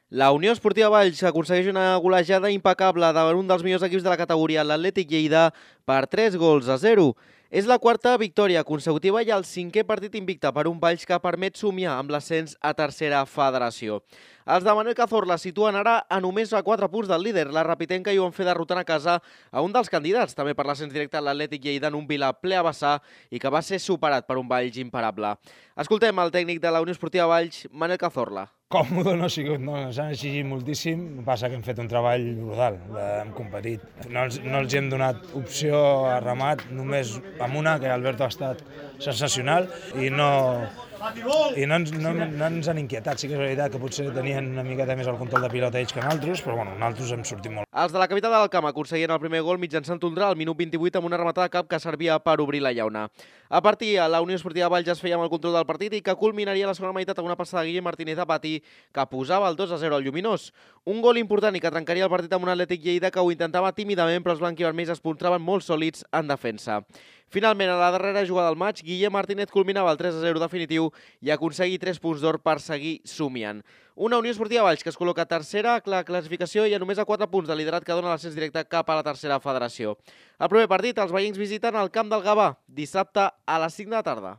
La Unió Esportiva Valls aconsegueix una golejada impecable davant un dels millors equips de la categoria, l'Atlètic Lleida, per 3-0. És la quarta victòria consecutiva i el cinquè partit invicte per un Valls que permet somiar amb l'ascens a tercera federació. Els de Manuel Cazorla situen ara a només a 4 punts del líder. La Rapitenca hi ho van fer derrotant a casa a un dels candidats, també per l'ascens directe a l'Atlètic Lleida, en un Vila ple a vessar i que va ser superat per un Valls imparable. Escoltem el tècnic de la Unió Esportiva Valls, Manuel Cazorla. Còmode no ha sigut, no, ens han exigit moltíssim, passa que hem fet un treball brutal, hem competit. No els hem donat opció a remat, només amb una, que Alberto ha estat sensacional, i no ens han inquietat. Sí que és veritat que potser tenien una miqueta més el control de pilota ells que nosaltres, però bueno, nosaltres hem sortit molt. Els de la capital del camp aconseguien el primer gol mitjançant Tundra al minut 28 amb una rematada de cap que servia per obrir la llauna. A partir, la Unió Esportiva Valls es feia amb el control del partit i que culminaria la segona meitat amb una passada de Guillem Martínez a pati que posava el 2-0 al Lluminós. Un gol important i que trencaria el partit amb un Atlètic Lleida que ho intentava tímidament, però els blanquivermells es mostraven molt sòlids en defensa. Finalment, a la darrera jugada del maig, Guillem Martínez culminava el 3-0 definitiu i aconseguí 3 punts d'or per seguir somiant. Una Unió Esportiva Valls que es col·loca tercera a la classificació i a només a 4 punts de liderat que dona l'ascens directe cap a la tercera federació. El primer partit, els veïns visiten el camp del Gavà, dissabte a les 5 de la tarda.